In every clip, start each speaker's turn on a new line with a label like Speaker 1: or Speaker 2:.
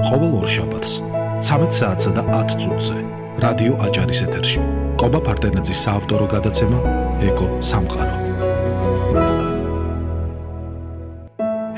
Speaker 1: ყოველ ორ შაბათს 13 საათსა და 10 წუთზე რადიო აჭარის ეთერში კობა ფარტენაძის საავტორო გადაცემა ეკო სამყარო.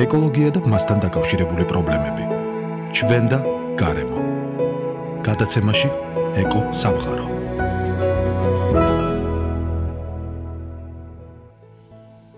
Speaker 1: ეკოლოგია და მასთან დაკავშირებული პრობლემები. ჩვენ და გარემო. გადაცემაში ეკო სამყარო.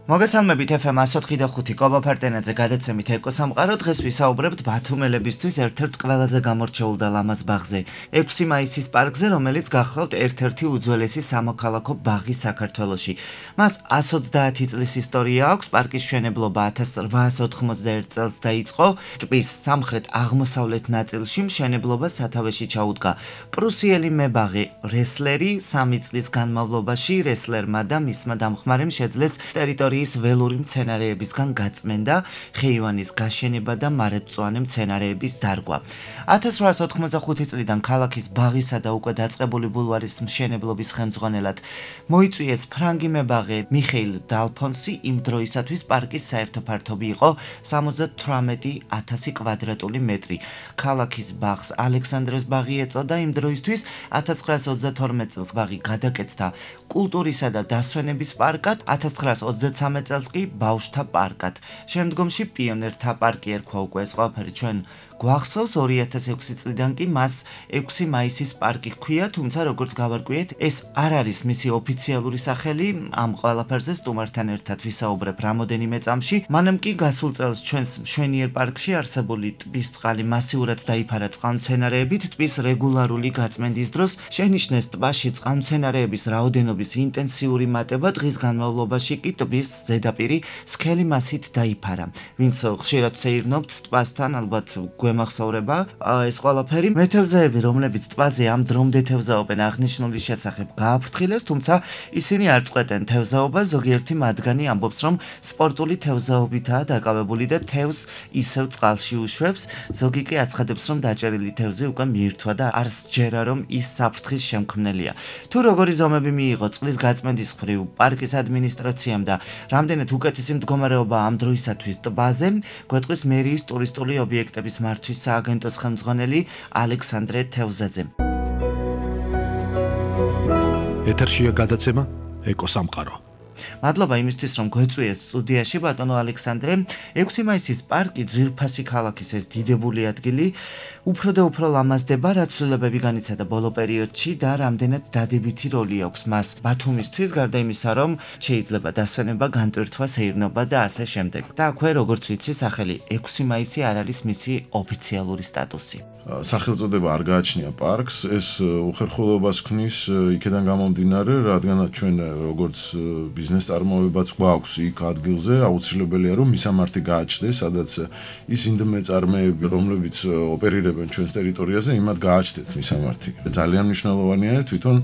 Speaker 2: მოგესალმებით FM 104.5 კობა ფარტენაძე გადაცემით ეკო სამყარო. დღეს ვისაუბრებთ ბათუმელებისთვის ერთ-ერთ ყველაზე გამორჩეულ და ლამაზ ბაღზე, 6 მაისის პარკზე, რომელიც გახლავთ ერთ-ერთი უძველესი სამოქალაქო ბაღი საქართველოში. მას 130 წლის ისტორია აქვს. პარკის მშენებლობა 1891 წელს დაიწყო. ტბის სამხრეთ-აღმოსავლეთ ნაწილში მშენებლობა სათავეში ჩაუდგა პრუსიელი მებაღი რესლერი. 3 წლის განმავლობაში რესლერმა და მისმა დამხმარემ შეძლეს ტერიტორიის ველური მცენარეებისგან გაწმენდა, ხეივანის გაშენება და მარადმწვანე მცენარეების დარგვა. 1885 წლიდან ქალაქის ბაღისა და უკვე დაწყებული ბულვარის მშენებლობის ხელმძღვანელად მოიწვიეს ფრანგი მებაღე მიხეილ დალფონსი. იმ დროისათვის პარკის საერთო ფართობი იყო 78,000 კვადრატული მეტრი. ქალაქის ბაღს ალექსანდრეს ბაღი ეწოდა. იმ დროისთვის 1922 წელს ბაღი გადაკეთდა კულტურისა და დასვენების პარკად, 1923 წელს კი ბავშვთა პარკად. შემდგომში პიონერთა პარკი ერქვა უკვე ეს ყველაფერი ჩვენ გვახსოვს. 2006 წლიდან კი მას 6 მაისის პარკი ჰქვია, თუმცა როგორც გავარკვიეთ, ეს არ არის მისი ოფიციალური სახელი. ამ ყველაფერზე სტუმართან ერთად ვისაუბრებ რამოდენიმე წამში. მანამ კი გასულ წელს ჩვენს მშვენიერ პარკში არსებული ტბის წყალი მასიურად დაიფარა წყალმცენარეებით. ტბის რეგულარული გაწმენდის დროს შენიშნეს ტბაში წყალმცენარეების რაოდენობის ინტენსიური მატება. დღის განმავლობაში კი ტბის ზედაპირი სქელი მასით დაიფარა. ვინც ხშირად სეირნობთ ტბასთან, ალბათ გვემახსოვრება ეს ყველაფერი. მეთევზეები, რომლებიც ტბაზე ამ დრომდე თევზაობენ, აღნიშნული შესახებ გააფრთხილეს, თუმცა ისინი არ წყვეტენ თევზაობას. ზოგიერთი მათგანი ამბობს, რომ სპორტული თევზაობითაა დაკავებული და თევზს ისევ წყალში უშვებს. ზოგი კი აცხადებს, რომ დაჭერილი თევზი უკვე მიირთვა და არ სჯერა, რომ ის საფრთხის შემქმნელია. თუ როგორი ზომები მიიღო წყლის გაწმენდის მხრივ პარკის ადმინისტრაციამ და რამდენად უკეთესი მდგომარეობა ამ დროისათვის ტბაზე, გვეტყვის მერიის ტურისტული ობიექტების მართვის სააგენტოს ხელმძღვანელი ალექსანდრე თევზაძე.
Speaker 1: ეთერშია გადაცემა ეკო სამყარო.
Speaker 2: მადლობა იმისთვის, რომ გვეწვიეთ სტუდიაში ბატონო ალექსანდრე. 6 მაისის პარკი ძვირფასი ქალაქის ეს დიდებული ადგილი უფრო და უფრო ლამაზდება, რაც ცვლილებები განიცადა ბოლო პერიოდში და რამდენად დადებითი როლი აქვს მას ბათუმისთვის, გარდა იმისა, რომ შეიძლება დასვენება, განტვირთვა, სეირნობა და ასე შემდეგ. და აქვე, როგორც ვიცი, სახელი 6 მაისი არ არის მისი ოფიციალური სტატუსი.
Speaker 3: სახელწოდება არ გააჩნია პარკს, ეს უხერხულობას ქმნის იქედან გამომდინარე, რადგანაც ჩვენ როგორც ბიზნეს წარმოებაც გვაქვს იქ ადგილზე, აუცილებელია რომ მისამართი გააჩნდეს, სადაც ის ინდმეწარმეები, რომლებიც ოპერირებენ ჩვენს ტერიტორიაზე, იმათ გააჩნდეთ მისამართი. ძალიან მნიშვნელოვანია თვითონ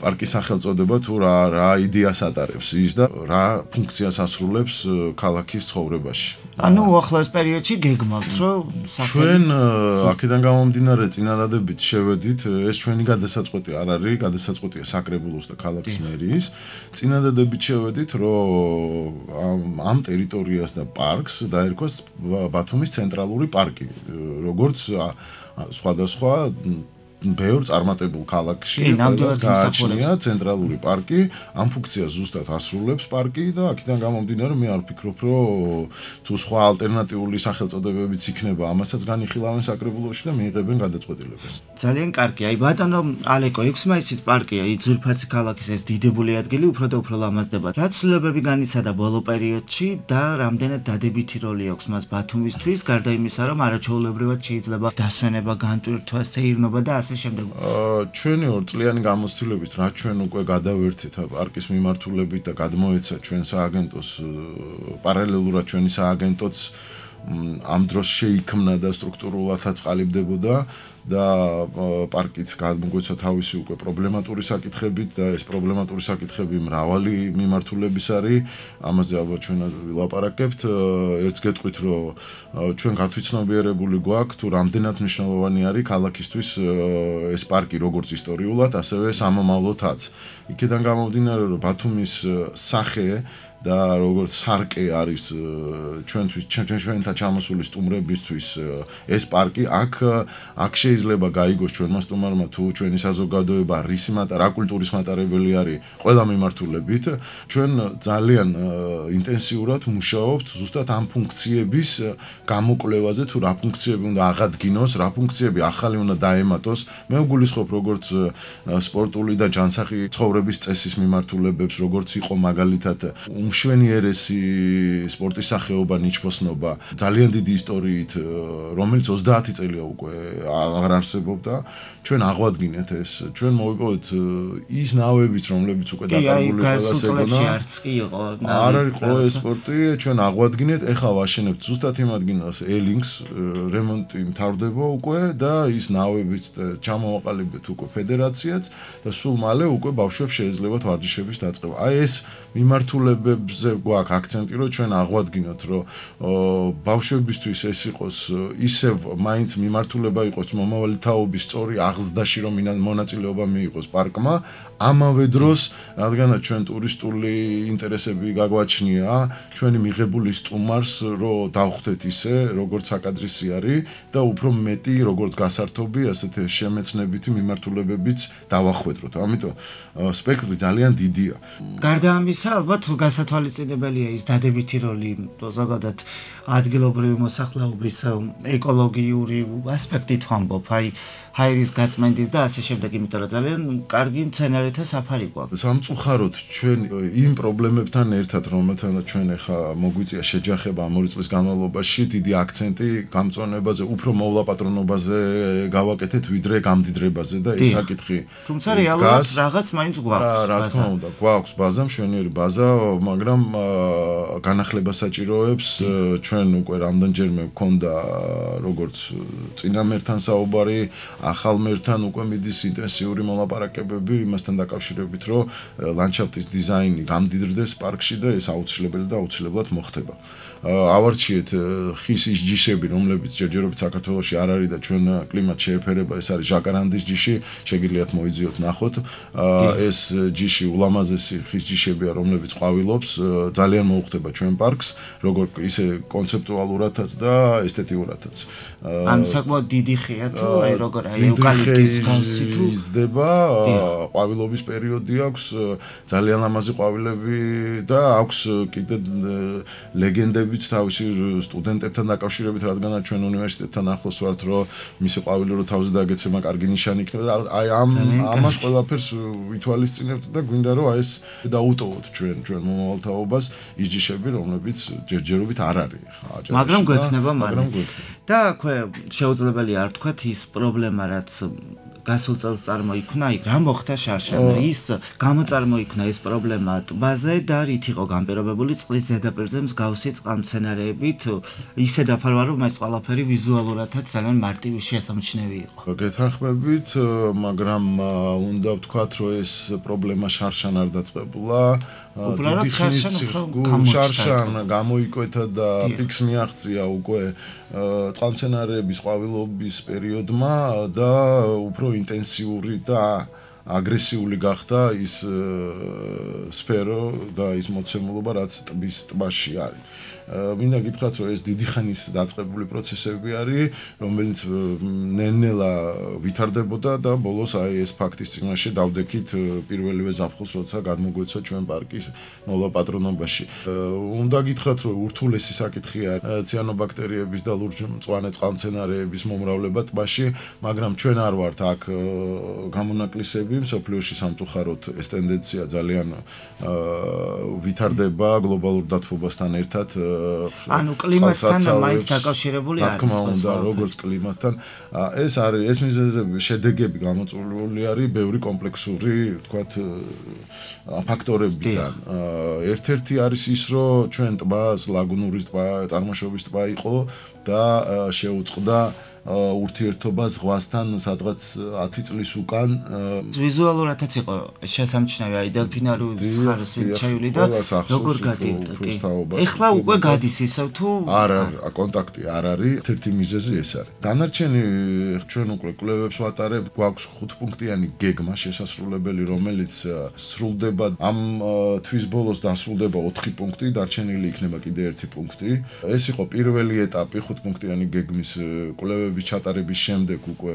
Speaker 3: პარკის სახელწოდება თუ რა იდეას ატარებს ის და რა ფუნქციას ასრულებს ქალაქის ცხოვრებაში.
Speaker 2: ანუ უახლოეს პერიოდში გეგმავთ, რომ
Speaker 3: ჩვენ აქედან გამომდინარე წინადადებით შევედით, ეს ჩვენი გადასაწყვეტი არ არის, გადასაწყვეტია საკრებულოს და ქალაქის მერიის. წინადადებით შევედით, რომ ამ ტერიტორიას და პარკს დაერქვას ბათუმის ცენტრალური პარკი, როგორც სხვადასხვა ბევრ წარმატებულ ქალაქში გააჩნია ცენტრალური პარკი. ამ ფუნქციას ზუსტად ასრულებს პარკი და აქედან გამომდინარე მე არ ვფიქრობ, რომ თუ სხვა ალტერნატიული სახელწოდებებიც იქნება, ამასაც განიხილავენ საკრებულოში და მიიღებენ გადაწყვეტილებას.
Speaker 2: ძალიან კარგი. აი ბატონო ალეკო, 6 მაისის პარკია, ძვირფასი ქალაქის ეს დიდებული ადგილი უფრო და უფრო ლამაზდება. რა ცვლილებები განიცადა ბოლო პერიოდში და რამდენად დადებითი როლი აქვს მას ბათუმისთვის, გარდა იმისა, რომ არაჩვეულებრივად შეიძლება დასვენება, განტვირთვა, სეირნობა და
Speaker 3: ჩვენი 2 წლიანი გამოცდილებით, რაც ჩვენ უკვე გადავერთეთ პარკის მიმართულებით და გადმოეცა ჩვენ სააგენტოს, პარალელურად ჩვენი სააგენტოც ამ დროს შეიქმნა და სტრუქტურულად აწყალიბდებოდა და პარკიც გამოგვეცა თავისი უკვე პრობლემატური საკითხებით და ეს პრობლემატური საკითხები მრავალი მიმართულების არის. ამაზე ალბათ ჩვენ ვილაპარაკებთ. ერთს გეტყვით, რომ ჩვენ გათვითცნობიერებული გვაქვს თუ რამდენად მნიშვნელოვანი არის ქალაქისთვის ეს პარკი როგორც ისტორიულად, ასევე სამომავლოდაც. იქედან გამომდინარე, რომ ბათუმის სახე და როგორც სარკე არის ჩვენთვის ჩვენთან ჩამოსული სტუმრებისთვის ეს პარკი აქ შეიძლება გაიგოს ჩვენმა სტუმარმა თუ ჩვენი საზოგადოება რა კულტურის მატარებელი არის ყველა მიმართულებით ჩვენ ძალიან ინტენსიურად მუშაობთ ზუსტად ამ ფუნქციების გამოკვლევაზე თუ რა ფუნქციები უნდა აღადგინოს რა ფუნქციები ახალი უნდა დაემატოს მე ვგულისხმობ როგორც სპორტული და ჯანსაღი ცხოვრების წესის მიმართულებებს როგორც იყო მაგალითად უმშვენიერესი სპორტის სახეობა ნიჩბოსნობა ძალიან დიდი ისტორიით რომელიც 30 წელია უკვე აღარ არსებობდა ჩვენ აღვადგინეთ ეს ჩვენ მოვიპოვეთ ის ნავებიც რომლებიც უკვე დაკარგული ყველას ეგონა
Speaker 2: არც კი იყო
Speaker 3: არ არის ყველა სპორტი ჩვენ აღვადგინეთ ეხლა ვაშენებთ ზუსტად იმ ადგილას ელინგს რემონტი მთავრდება უკვე და ის ნავებიც ჩამოვაყალიბეთ უკვე ფედერაციაც და სულ მალე უკვე ბავშვებს შეეძლებათ ვარჯიშების დაწყება აი ეს მიმართულებებზე გვაქვს აქცენტი რომ ჩვენ აღვადგინოთ რომ ბავშვებისთვის ეს იყოს ისევ მაინც მიმართულება იყოს მომავალი თაობის სწორი აღზრდაში რომ მონაწილეობა მიიღოს პარკმა ამავე დროს რადგანაც ჩვენ ტურისტული ინტერესები გაგვაჩნია ჩვენი მიღებული სტუმარს რომ დავხვდეთ ისე როგორც საკადრისი არის და უფრო მეტი როგორც გასართობი ასეთ შემეცნებითი მიმართულებებიც დავახვედროთ ამიტომ სპექტრი ძალიან დიდია
Speaker 2: გარდა ამისა ალბათ გასათვალისწინებელია ის დადებითი როლი ზოგადად ადგილობრივი მოსახლეობის ეკოლოგიური ასპექტით ვამბობ აი ჰაერის გაწმენდის და ასე შემდეგ იმიტომ რომ ძალიან კარგი მცენარეთა საფარი გვაქვს
Speaker 3: სამწუხაროდ ჩვენ იმ პრობლემებთან ერთად რომელთანაც ჩვენ ახლა მოგვიწია შეჯახება ამ 2 წლის განმავლობაში დიდი აქცენტი გამწვანებაზე უფრო მოვლაპატრონობაზე გავაკეთეთ ვიდრე გამდიდრებაზე და ეს საკითხი
Speaker 2: თუმცა რეალურად რაღაც მაინც გვაქვს
Speaker 3: რა თქმა უნდა გვაქვს ბაზა მშვენიერი ბაზა მაგრამ განახლება საჭიროებს ჩვენ უკვე რამდენჯერმე გვქონდა როგორც წინამერთან საუბარი ახალ მერთან უკვე მიდის ინტენსიური მოლაპარაკებები იმასთან დაკავშირებით, რომ ლანდშაფტის დიზაინი გამდიდრდეს პარკში და ეს აუცილებელი და აუცილებლად მოხდება. ავარჩიეთ ხის ის ჯიშები, რომლებიც ჯერჯერობით საქართველოში არ არის და ჩვენ კლიმატს შეეფერება, ეს არის ჟაკარანდის ჯიში, შეგიძლიათ მოიძიოთ ნახოთ. ეს ჯიში ულამაზესი ხის ჯიშებია, რომლებიც ყვავილობს, ძალიან მოუხდება ჩვენ პარკს, როგორ ისე კონცეპტუალურადაც და ესთეტიურადაც.
Speaker 2: ან საკმაოდ დიდი ხეა თუ აი როგორ აი ევკალიპტის კონსი თუ
Speaker 3: იზრდება, ყვავილობის პერიოდი აქვს, ძალიან ლამაზი ყვავილები და აქვს კიდე ლეგენდებიც თავისი სტუდენტებთან დაკავშირებით, რადგანაც ჩვენ უნივერსიტეტთან ახლოს ვართ, რომ მისი ყვავილი რო თავზე დაგეცემა კარგი ნიშანი იქნება. აი ამას ყველაფერს ვითვალისწინებთ და გვინდა რომ აი ეს დაუტოვოთ ჩვენ მომავალთაობას ის ჯიშები, რომლებიც ჯერჯერობით არ არის ხა აჯანში.
Speaker 2: მაგრამ გვექნება მალე. და აქვე შეუძლებელია არ თქვათ ის პრობლემა რაც გასულ წელს წარმოიქმნა, რა მოხდა შარშან? ის გამოწარმოიქმნა ეს პრობლემა ტბაზე და რით იყო განპირობებული წყლის ზედაპირზე მსგავსი წყალმცენარეებით, ისე დაფარვა რომ ეს ყველაფერი ვიზუალურადაც ძალიან მარტივი შესამჩნევი იყო.
Speaker 3: გეთანხმებით, მაგრამ უნდა ვთქვათ, რომ ეს პრობლემა შარშან არ დაწყებულა.
Speaker 2: უბრალოდ
Speaker 3: შარშან გამოიკვეთა და პიკს მიაღწია უკვე წყალმცენარეების ყვავილობის პერიოდმა და უფრო ინტენსიური და აგრესიული გახდა ის სფერო და ის მოცემულობა რაც ტბაში არის. მინდა გითხრათ რომ ეს დიდი ხანის დაწყებული პროცესები არის, რომელიც ნელ-ნელა ვითარდებოდა და ბოლოს აი ეს ფაქტის წინაშე დავდექით პირველივე ზაფხულს, როცა გადმოგვეცა ჩვენ პარკის მოლაპატრონობაში. უნდა გითხრათ რომ ურთულესი საკითხია ციანობაქტერიების და ლურჯ-მწვანე წყალმცენარეების მომრავლება ტბაში, მაგრამ ჩვენ არ ვართ აქ გამონაკლისები, მსოფლიოში სამწუხაროდ ეს ტენდენცია ძალიან ვითარდება გლობალურ დათბობასთან ერთად.
Speaker 2: ანუ კლიმატთან მაინც დაკავშირებული არის.
Speaker 3: რა თქმა უნდა, როგორც კლიმატთან, ეს მიზეზები, შედეგები გამოწვეული არის ბევრი კომპლექსური, ვთქვათ, ფაქტორებიდან. ერთ-ერთი არის ის, რომ ჩვენ ტბას, ლაგუნურის ტბა, წარმოშობის ტბა იყო და შეუწყდა ურთიერთობა ზღვასთან სადღაც 10 წლის უკან
Speaker 2: ვიზუალურადაც იყო შესამჩნევი, აი დელფინარული ხარეს შეიული და როგორ გადიოდა. ეხლა უკვე გადის ისევ თუ
Speaker 3: არა, კონტაქტი არ არის, ერთ-ერთი მიზეზი ეს არის. დანარჩენი ჩვენ უკვე კვლევებს ვატარებთ, გვაქვს 5 პუნქტიანი გეგმა შესასრულებელი, რომელიც სრულდება ამ თვის ბოლოს დასრულდება 4 პუნქტი, დარჩენილი იქნება კიდე 1 პუნქტი. ეს იყო პირველი ეტაპი 5 პუნქტიანი გეგმის კვლევების ჩატარების შემდეგ უკვე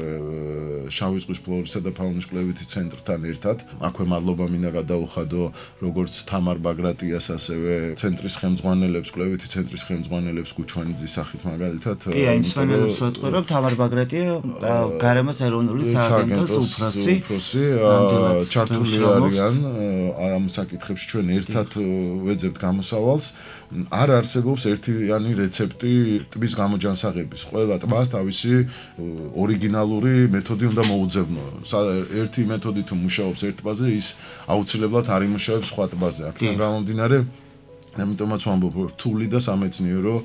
Speaker 3: შავი ზღვის ფლორისა და ფაუნის კვლევითი ცენტრთან ერთად. აქვე მადლობა მინდა გადაუხადო როგორც თამარ ბაგრატიას, ასევე ცენტრის ხელმძღვანელებს, კვლევითი ცენტრის ხელმძღვანელებს გუჩვანიძის სახით მაგალითად.
Speaker 2: კი, აი მსვენელებს ვეთქვი, რომ თამარ ბაგრატია გარემოს ეროვნული სააგენტოს უფროსი
Speaker 3: ჩართული არიან ამ საკითხებში, ჩვენ ერთად ვეძებთ გამოსავალს. არ არსებობს ერთიანი რეცეპტი ტბის გამოჯანსაღების. ყველა ტბას თავისი ორიგინალური მეთოდი უნდა მოუძებნო. ერთი მეთოდი თუ მუშაობს ერთ ტბაზე, ის აუცილებლად არ იმუშავებს სხვა ტბაზე. აქედან გამომდინარე, ამიტომაც ვამბობ, რთული და სამეცნიერო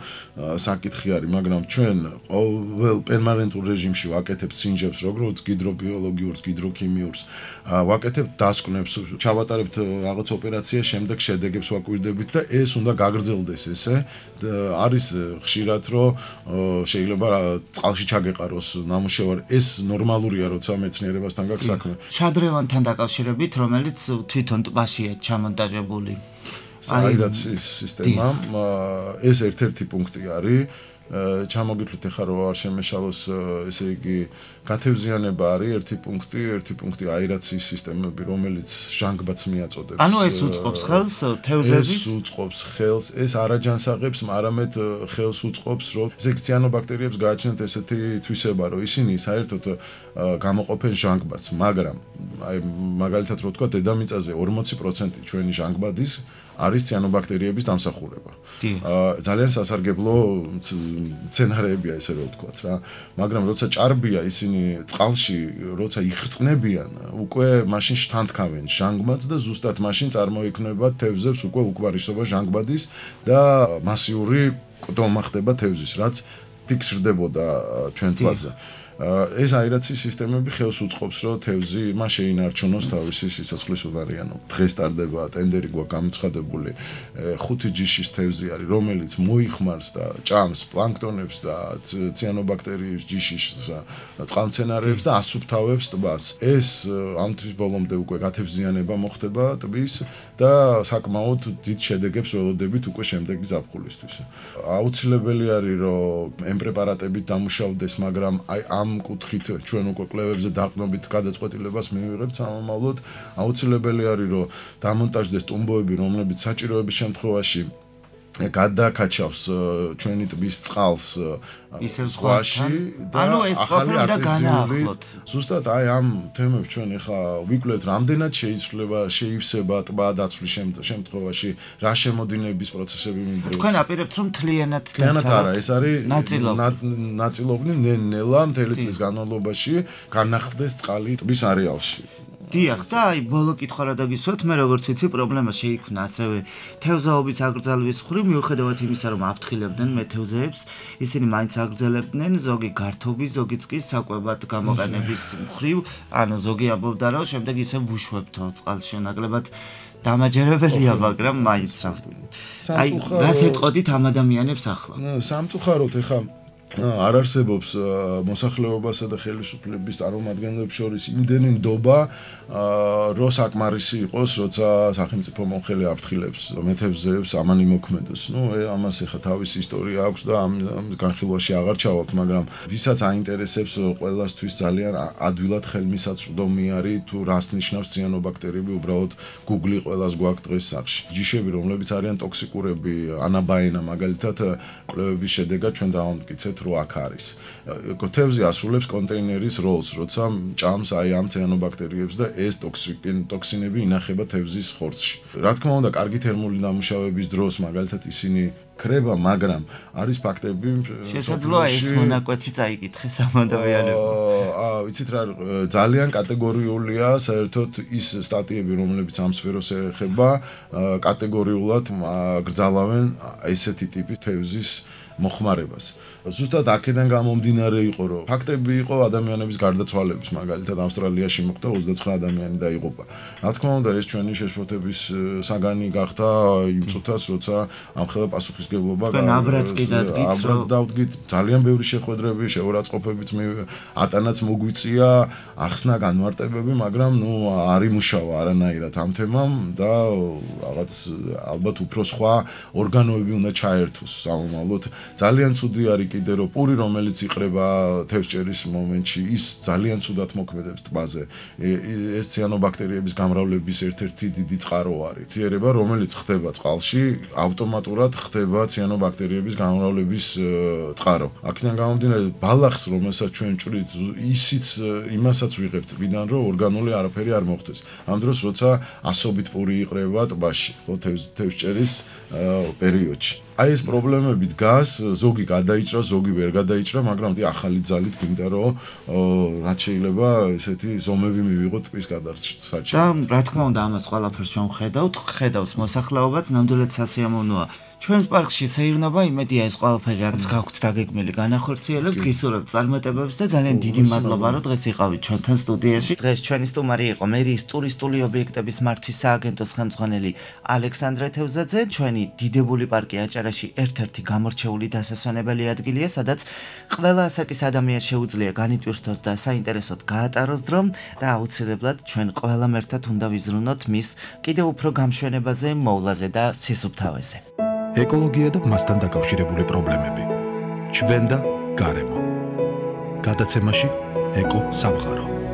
Speaker 3: საკითხი არის, მაგრამ ჩვენ ყოველ პერმანენტულ რეჟიმში ვაკეთებთ სინჯებს, როგორც გიდრობიოლოგიურს, გიდროქიმიურს, ვაკეთებთ დასკვნებს, ჩავატარებთ რაღაც ოპერაცია, შემდეგ შედეგებს ვაკვირდებით და ეს უნდა გაგრძელდეს ესე. არის ხშირად, რომ შეიძლება წყალში ჩაგეყაროს ნამუშევარი, ეს ნორმალურია, როცა მეცნიერებასთან გაქვს საქმე.
Speaker 2: შადრევანთან დაკავშირებით, რომელიც თვითონ ტბაშია ჩამონტაჟებული.
Speaker 3: აირაციის სისტემა ეს ერთ-ერთი პუნქტი არის. ჩამოგითვლით ახლა რომ არ შემეშალოს, ესე იგი გათევზიანება არის ერთი პუნქტი აირაციის სისტემები, რომელიც ჟანგბადს მიაწოდებს.
Speaker 2: ანუ ეს უწყობს ხელს თევზების?
Speaker 3: ეს უწყობს ხელს, ეს არაჯანსაღებს, არამედ ხელს უწყობს, რომ ესე იგი ციანობაქტერიებს გააჩნიათ ესეთი თვისება, რომ ისინი საერთოდ გამოყოფენ ჟანგბადს, მაგრამ აი მაგალითად რო ვთქვა, დედამიწაზე 40% ჩვენი ჟანგბადის არის ციანობაქტერიების დამსახურება. ძალიან სასარგებლო სცენარეებია ესე რომ ვთქვათ რა, მაგრამ როცა ჭარბია ისინი წყალში, როცა იხრწნებიან, უკვე მაშინ შთანთქავენ ჟანგბადს და ზუსტად მაშინ წარმოიქმნება თევზებს უკვე უკმარისობა ჟანგბადის და მასიური ყდომა ხდება თევზის, რაც ფიქსირდებოდა ჩვენ თვალზე. ეს აირაციის სისტემები ხელს უწყობს, რომ თევზი მას შეინარჩუნოს თავისი სიცოცხლის უდარიანობა. დღეს ტარდება ტენდერი გვაქვს გამოცხადებული 5 ჯიშის თევზი არის, რომელიც მოიხმარს და ჭამს პლანქტონებს და ციანობაქტერიებს, ჯიშის წყალმცენარეებს და ასუფთავებს ტბას. ეს ამ თვის ბოლომდე უკვე გათევზიანება მოხდება ტბის და საკმაოდ დიდ შედეგებს ველოდებით უკვე შემდეგი ზაფხულისთვის. აუცილებელი არის, რომ ამ პრეპარატებით დამუშავდეს, მაგრამ აი ამ კუთხით ჩვენ უკვე კვლევებზე დაყრდნობით გადაწყვეტილებას მივიღებთ სამომავლოდ. აუცილებელი არის, რომ დამონტაჟდეს ტუმბოები, რომლებიც საჭიროების შემთხვევაში გადაკაჩავს ჩვენი ტბის წყალს
Speaker 2: ისევ ზღვაში და ანუ ეს ყოფილი უნდა განაახლოთ.
Speaker 3: ზუსტად აი ამ თემებს ჩვენ ახლა ვიკვლევთ, რამდენად შეივსება ტბა დაცვის შემთხვევაში, რა შემოდინების პროცესები მიმდინარეობს.
Speaker 2: თქვენ აპირებთ, რომ თლიანად
Speaker 3: არა, ეს არის ნაწილობრივ ნელა მთელი წლის განმავლობაში განახლდეს წყალი ტბის არეალში.
Speaker 2: დიახ, და აი ბოლო კითხვა რა დაგისვათ, მე როგორც ვიცი, პრობლემა შეიქმნა ასევე თევზაობის აკრძალვის მხრივ, მიუხედავად იმისა, რომ აფრთხილებდნენ მეთევზეებს, ისინი მაინც აკრძალებდნენ, ზოგი გართობის, ზოგიც კი საკვებად გამოყენების მხრივ, ანუ ზოგი ამბობდა, რომ შემდეგ ისე ვუშვებთო წყალში ნაკლებად დამაჯერებელია, მაგრამ მაინც რა. აი, რას ეტყოდით ამ ადამიანებს ახლა?
Speaker 3: სამწუხაროდ ეხა არ არსებობს მოსახლეობასა და ხელისუფლების წარმომადგენლებს შორის იმდენი ნდობა, რომ საკმარისი იყოს, როცა სახელმწიფო მომხელი აფრთხილებს მეთევზეებს ამან იმოქმედოს. ამას ეხა თავისი ისტორია აქვს და ამ განხილვაში აღარ ჩავალთ, მაგრამ ვისაც აინტერესებს, ყველასთვის ძალიან ადვილად ხელმისაწვდომი არის თუ რას ნიშნავს ციანობაქტერიები, უბრალოდ Google ყველას გვაქვს დღეს სახში. ჯიშები, რომლებიც არიან ტოქსიკურები, ანაბაენა მაგალითად, კვლევების შედეგად ჩვენ დავამტკიცეთ, რომ აქ არის. თევზი ასრულებს კონტეინერის როლს, როცა ჭამს აი ამ ციანობაქტერიებს და ეს ტოქსინები ინახება თევზის ხორცში. რა თქმა უნდა, კარგი თერმული დამუშავების დროს მაგალითად ისინი ქრება, მაგრამ არის ფაქტები
Speaker 2: შესაძლოა ეს მონაკვეთი წაიკითხეს ამ ადამიანებმა.
Speaker 3: ვიცით რა, ძალიან კატეგორიულია საერთოდ ის სტატიები, რომლებიც ამ სფეროს ეხება, კატეგორიულად გრძალავენ ესეთი ტიპის თევზის მოხმარებას. ზუსტად აქედან გამომდინარე იყო, რომ ფაქტები იყო ადამიანების გარდაცვალების, მაგალითად ავსტრალიაში მოხდა 29 ადამიანი დაიღუპა. რა თქმა უნდა, ეს ჩვენი შეშფოთების საგანი გახდა იმ წუთას, როცა ამხელა პასუხისგებლობა
Speaker 2: აბრაც
Speaker 3: დავდგით, ძალიან ბევრი შეხვედრები, შეურაცხყოფებიც ატანაც მოგვიწია, ახსნა განმარტებები, მაგრამ არ იმუშავა არანაირად ამ თემამ და რაღაც ალბათ უფრო სხვა ორგანოები უნდა ჩაერთოს სამომავლოდ. ძალიან ცუდი არის კიდე რომ პური რომელიც იყრება თევზჭერის მომენტში ის ძალიან ცუდად მოქმედებს ტბაზე. ეს ციანობაქტერიების გამრავლების ერთ-ერთი დიდი წყარო არის. თიერება რომელიც ხდება წყალში, ავტომატურად ხდება ციანობაქტერიების გამრავლების წყარო. აქედან გამომდინარე ბალახს რომელსაც ჩვენ ჭვრით ისიც იმასაც ვიღებთ ვიდან რომ ორგანული არაფერი არ მოხდეს. ამ დროს როცა ასობით პური იყრება ტბაში, ხო თევზჭერის პერიოდში. აი ეს პრობლემები დგას, ზოგი გადაიჭრა, ზოგი ვერ გადაიჭრა, მაგრამ ახალი ძალით გვინდა რომ რაც შეიძლება ესეთი ზომები მივიღოთ ტბის გადასაჭრელად.
Speaker 2: და რა თქმა უნდა ამას ყველაფერს ჩვენ ხედავს მოსახლეობაც, ნამდვილად სასიამოვნოა. ჩვენს პარკში საირნობა იმედია ეს ყველაფერი რაც გაქვთ დაგეგმილი განახორციელებთ, გისურვებთ წარმატებებს და ძალიან დიდი მადლობა რომ დღეს იყავით ჩვენთან სტუდიაში. დღეს ჩვენი სტუმარი იყო მერიის ტურისტული ობიექტების მართვის სააგენტოს ხელმძღვანელი ალექსანდრე თევზაძე. ჩვენი დიდებული პარკი აჭარაში ერთ-ერთი გამორჩეული დასასვენებელი ადგილია, სადაც ყველა ასაკის ადამიანს შეუძლია განიტვირთოს და საინტერესოდ გაატაროს დრო და აუცილებლად ჩვენ ყველამ ერთად უნდა ვიზრუნოთ მის კიდევ უფრო გამშვენებაზე, მოვლაზე და სისუფთავეზე.
Speaker 1: ეკოლოგია და მასთან დაკავშირებული პრობლემები. ჩვენ და გარემო. გადაცემაში ეკო სამყარო.